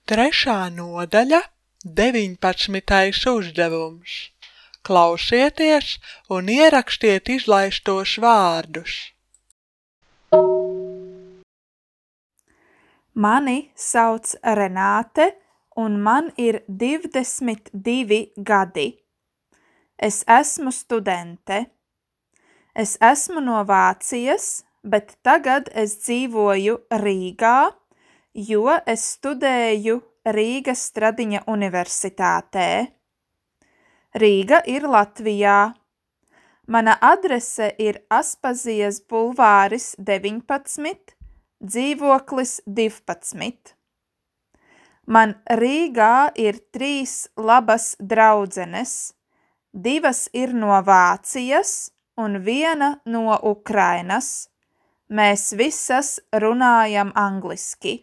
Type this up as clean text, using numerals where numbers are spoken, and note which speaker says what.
Speaker 1: Trešā nodaļa, 19. uzdevums. Klausieties un ierakstiet izlaistos vārdus.
Speaker 2: Mani sauc Renāte un man ir 22 gadi. Es esmu studente. Es esmu no Vācijas, bet tagad es dzīvoju Rīgā, jo es studēju Rīgas Stradiņa universitātē. Rīga ir Latvijā. Mana adrese ir Aspazijas bulvāris 19, dzīvoklis 12. Man Rīgā ir 3 labas draudzenes, 2 ir no Vācijas un 1 no Ukrainas. Mēs visas runājam angliski.